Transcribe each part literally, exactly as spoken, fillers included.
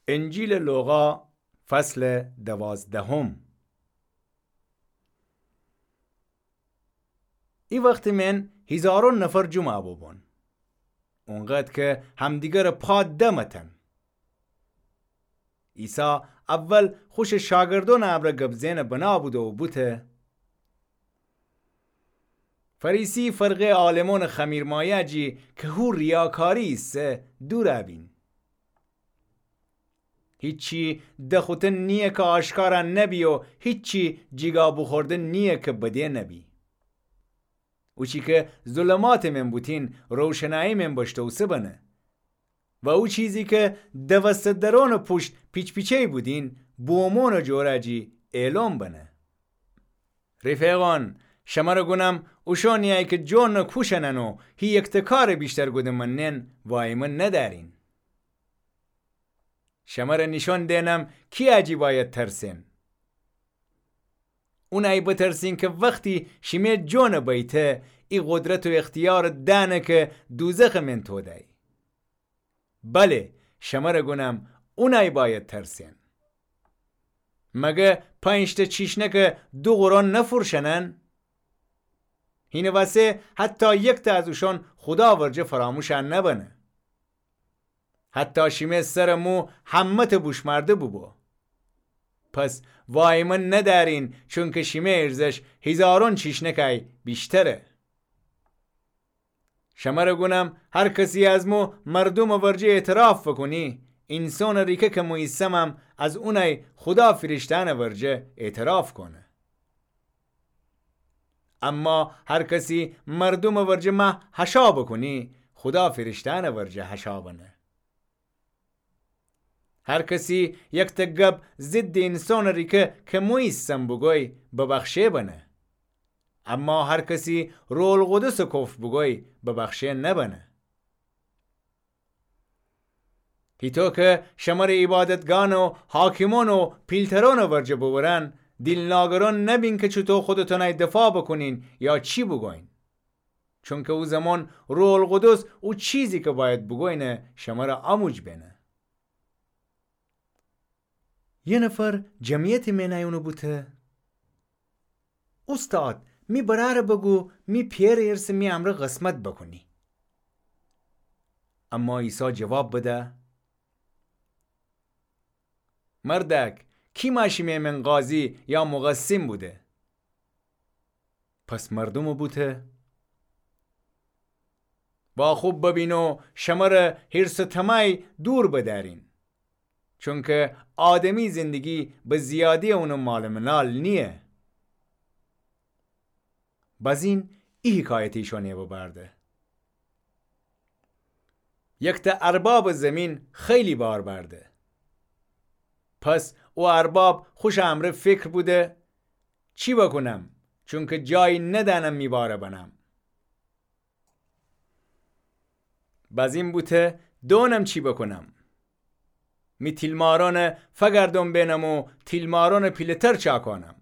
انجیلٚ لوقا، فصلٚ دوازدهم. ای وختٚ مئن هیزارون نفر جمعه بوبون، اونقدر که همدیگرٚ پا دمتن. عیسی اول خوشٚ شاگردونٚ امرأ گب زئنٚ بنا بوده و بوته: فریسی فرقهٔ عالمونٚ خمیرمایه جی که هو ریاکاری ایسه دور ابین. هیچی دخوتن نییه که آشکارا نبی و هیچی جیگا بوخوردن نییه که بده نبی. اوچی که ظلماتٚ مئن بوتین، روشنایی مئن بشتوسه بنه. و او چیزی که دوسته درونٚ پوشت پیچ‌پیچه‌یی بودین، بومونٚ جورا جی ایلون بنه. رفیقان، شمره گونم، اوشونیی که جونٚ کوشنن و هی یکته کارٚ ویشتر گوده منن، وایمه ندأرین. شمره نیشون دئنم کیی جی باید ترسئن. اونیی بترسین که وختی شیمه جونٚ بیته، ای قدرت و اختیارٚ دأنه که دوزخٚ مئن توده‌یی. بله، شمره گونم، اونیی باید ترسئن. مگه پنج‌ته چیشنکه دو قرون نفروشنن؟ هینٚ وسه حتی یکته از اوشون خودا ورجه فراموشا نبنه. حتی شیمه سرٚ مو همه‌ته بوشمرده بوبو. پس وایمه ندأرین، چونکه شیمه ایرزش هیزارون چیشنکیی ویشتره. شمره گونم، هر کسی از مو مردومٚ ورجه اعتراف بوکونی، اینسونٚ ریکه که مو ایسمم از اونیی خودا فیرشته‌یأنٚ ورجه اعتراف کونه. اما هر کسی مردومٚ ورجه مه حشا بوکونی، خودا فیرشته‌یأنٚ ورجه حشا بنه. هر کسی یکته گب ضدٚ اینسونٚ ریکه که مو ایسم بوگوی، ببخشه بنه. اما هر کسی روح‌القدسٚ کفر بوگوی، ببخشه نبنه. هیطو که شمره عیبادتگان و حاکمون و پیلترونٚ ورجه ببرن، دیل ناگرون نبین که چوطو خودتونیی دفاع بوکونین یا چی بوگوین. چونکه او زمان روح‌القدس او چیزی که باید بوگوینه شمره آموج بینه. یه نفر جمعیتٚ مئن ایونه بوته: اوستاد، می برأره بگو می پئرٚ ارث می امرأ قسمت بوکونی. اما عیسی جواب بده: مردأک، کی مأ شیمه مئن قاضی یا مقسم بوده؟ پس مردومٚ بوته: واخوب ببین و شمره حرص و طمعیی دور بدأرین. چونکه آدمی زندگی به زیاده‌یٚ اونٚ مالٚ منال نییه. بزین ای حکایت ایشانه ببرده: یکته اربابٚ زمین خیلی بار برده. پس او ارباب خوشٚ امرأ فکر بوده: چی بوکونم؟ چونکه جایی ندأنم می باره بنم. بزین بوته: دونم چی بوکونم. می تیلمارأنه فگردون بینم و تیلمارأنٚ پیله‌تر چاکونم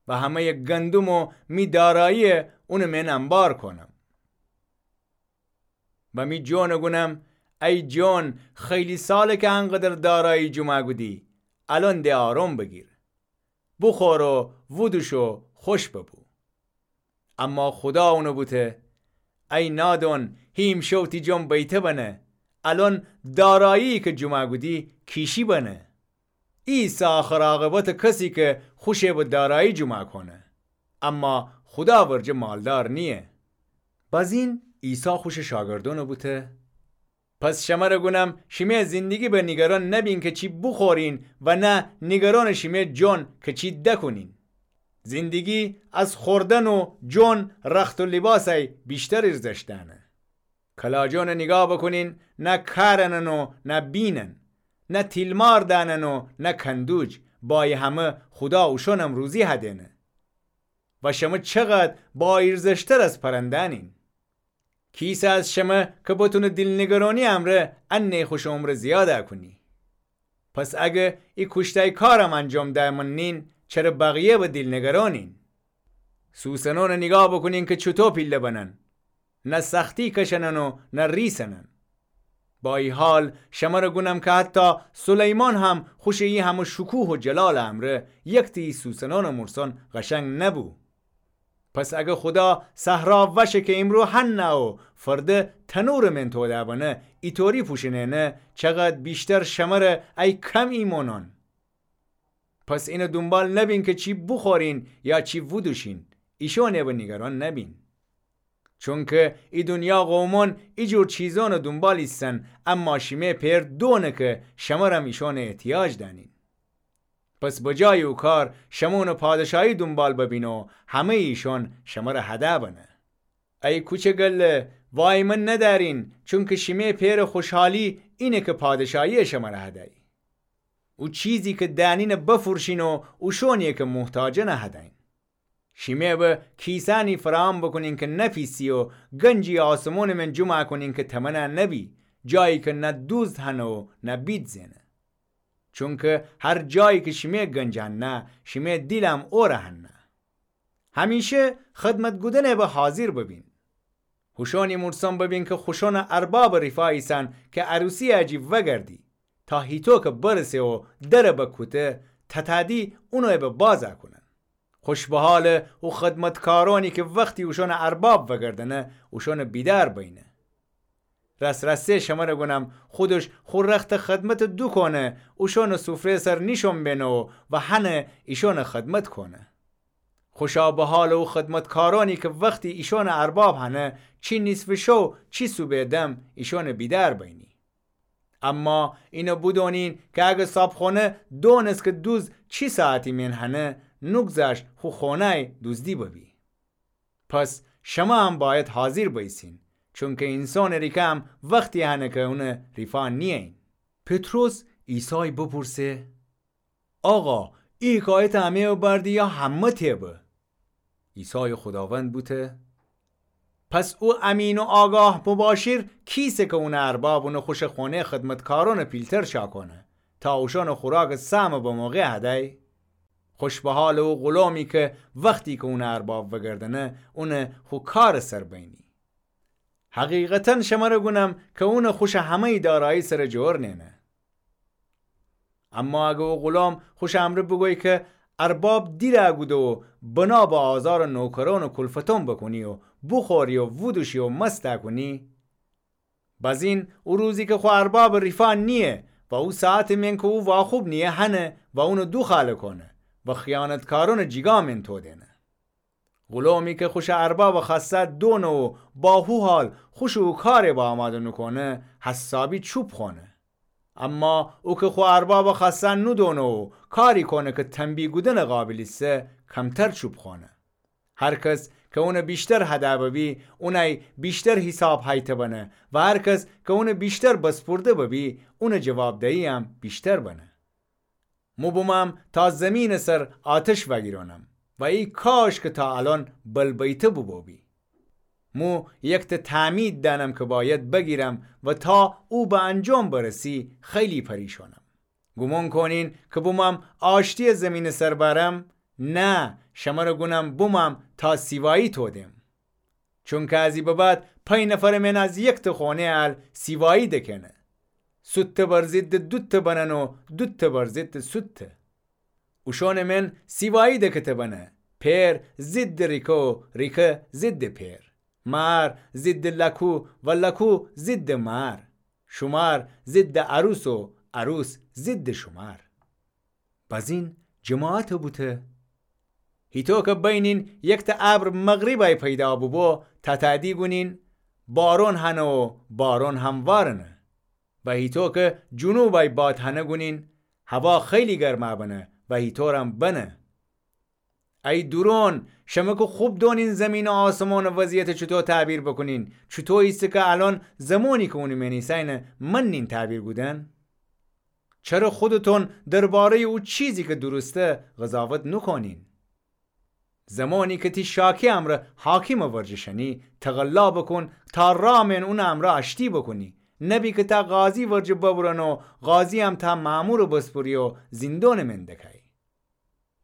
و همه‌یٚ گندم و می دارایی اونٚ مئن انبار کونم. و می جونٚ گونم: ای جون، خیلی ساله که انقدر دارایی جمع کودی، الأن ده آروم بگیر. بوخور و ودوش و خوش ببو. اما خودا اونه بوته: ای نادون، هی ایمشو تی جون بیته بنه، الأن دارایی که جمع کودی کیشی بنه. ای ایسه آخر عاقبتٚ کسی که خوشه به دارایی جمع کونه، اما خودا ورجه مالدار نییه. بزین عیسی خوشٚ شاگردأنٚ بوته: پس شمره گونم، شیمه زندگی به نیگران نبین که چی بوخورین و نه نیگرانٚ شیمه جون که چی دکونین. زندگی از خوردن و جون، رخت و لیباسیی ویشتر ایرزشت دأنه. کلاجونه نیگاه بوکونین، نه کارنن و نه بینن، نه تیلمار دأنن و نه کندوج، بایه همه خودا اوشونم روزی هدینه. و شمه چقدر با ایرزشتر از پرندأنین. کیسه از شمه که بتونه دیل نیگرانی امرأ انه خوشٚ عمره زیاده کونی؟ پس اگه ای کوشتای کارم انجام دأ منین، چره بقیه به دیل نیگرانین؟ سوسنونه نیگاه بوکونین که چوطو پیله بنن، نه سختی کشنن و نه ریسنن. با ای حال شمر گونم که حتی سلیمان هم خوش ای همه شکوه و جلال امرأ یکته ای سوسنأنٚ مرسان قشنگ نبو. پس اگه خودا صحرا وشه که ایمرو حنه و فرده تنورٚ من توده بنه، ایطوری پوشنینه، چقدر ویشتر شمر ای کم ایمانأن. پس اینٚ دونبال نبین که چی بوخورین یا چی وودوشین، ایشأنٚ به نیگران نبین. چونکه ای دونیا قومأن ای جور چیزأنٚ دونبال ایسن، اما شیمه پئر دونه که شمرم ایشأنٚ احتیاج دأنین. پس بجایٚ او کار شمه اونٚ پادشاهی دونبال ببین و همه‌یٚ ایشأن شمر هده بنه. ای کوچه گله، وای من ندأرین، چونکه شیمه پئرٚ خوشحالی اینه که پادشاهی شمر هده‌یی. او چیزی که دأنینٚ بفروشین و اوشأنی که محتاجأنٚ هدأیین. شیمه به کیسأنی فراهم بوکونین که نپیسی و گنجی آسمونٚ من جمع کونین که تمنه نبی، جایی که نه دوزد هنه و نه بید زئنه. چونکه هر جایی که شیمه گنج هنه، شیمه دیلم اوره هنه. همیشه خدمت کودنٚ به حاضر ببین. هوشأنی مرسان ببین که خوشأنٚ اربابٚ ریفا ایسن که عروسی جی وگردی، تا هیطو که برسه و در بکوته، تتأدی اونٚ به باز کونن. خوش بحالٚ او خدمتکارأنی که وختی اوشأنٚ ارباب وگردنه، اوشأنٚ بیدأر بینه. راس‌راسی شمر گونم، خودش خو رختٚ خدمت دوکونه، اوشأنٚ سفره سر نیشون بینه و هنه ایشأنٚ خدمت کونه. خوشا بحالٚ او خدمتکارأنی که وختی ایشأنٚ ارباب هنه، چی نیصفٚ شو، چی صوبه دم، ایشأنٚ بیدأر بینی. اما اینه بودونین که اگه صابخونه دونست که دوزد چی ساعتی من هنه، نوگذشت خو خونه‌ی دوزدی ببی. پس شمه هم باید حاضر بئیسین، چونکه اینسانٚ ریکه هم وختی هنه که اونٚ ریفا نیین. پطرس عیسای بپورسه: آقا، ای حکایت امه ببردی یا همه‌تأ به؟ عیسای خوداوند بوته: پس او امین و آگاه مباشر کیسه که اونٚ ارباب اونٚ خوشٚ خونه‌ی خدمتکارأنٚ پیلتر شا کونه، تا اوشأنٚ خوراکٚ سهمٚ بموقع هدی؟ خوش بحالٚ او غلامی که وختی که اونٚ ارباب وگردنه، اونٚ خو کارٚ سر بینی. حقیقتاً شمر گونم که اونٚ خوشٚ همه‌ی دارایی سر جؤر نئنه. اما اگه او غلام خوشٚ امرأ بوگوی که ارباب دیر کوده و بنا به آزارٚ نوکرأن و کلفتأن بوکونی و بوخوری و وودوشی و مست کونی، بزین او روزی که خو اربابٚ ریفا نییه و او ساعتٚ من که او واخوب نییه هنه و اونٚ دوخاله کونه و خیانتکارأنٚ جیگا من تودینه. غلامی که خوشٚ اربابٚ خوأسته دونه و با هو حال خوشٚ او کارٚ به آماده نوکونه، حسابی چوب خونه. اما او که خو اربابٚ خوأسته نودونه و کاری کونه که تنبیه کودنٚ قابل ایسه، کمتر چوب خونه. هر کس که اونٚ ویشتر هده ببی، اونی ویشتر حیساب هیته بنه و هر کس که اونٚ ویشتر بسپورده ببی، اونٚ جوابدهیی هم ویشتر بنه. مو بومم تا زیمینٚ سر آتش وأگیرأنم و ای کاش که تا الأن بل بیته بوبوبی. مو یکته تعمید دأنم که باید بگیرم و تا او به انجام برسی خیلی پریشانم. گومان کونین که بومم آشتیی زیمینٚ سر بأرم؟ نه، شمر گونم بومم تا سیوایی تودم. چونکه از ای به بعد پنج نفرٚ من از یکته خونه ال سیوایی دکهنه. سوته بر ضدٚ دوته بنن و دوته بر ضدٚ سوته. اوشأنٚ من سیوایی دکته بنه. پئر ضدٚ ریکه و ریکه ضدٚ پئر. مار ضدٚ لکو و لکو ضدٚ مار. شومار ضدٚ عروس و عروس ضدٚ شومار. بزین جماعت بوته. هیطو که بینین یکته ابر مغربی پیدا بوبو، تتأدی گونین بارون هنه و بارون هموارنه. و هیطو که جنوبی باد هنه گونین هوا خیلی گرما بنه و هیطورم بنه. ای دورون، شمه که خوب دونین زیمین و آسمانٚ وضعیت چوطو تعبیر بوکونین، چوطو ایسه که الأن زمانی که اونٚ من ایساینه منین تعبیر کودن؟ چره خودتون دربارهیٚ او چیزی که درسته قضاوت نوکونین؟ زمانی که تی شاکی امرأ حاکمٚ ورجه شنی، تقلا بوکون تا رأ من اونٚ امرأ آشتی بوکونی، نبی که تا قاضی ورجه ببرن و قاضییم تا مأمورٚ بسپوری و زیندونٚ من دکای.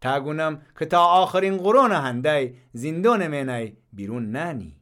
تا گونم که تا آخرین قرونٚ هندی زیندونٚ منی بیرون نأنی.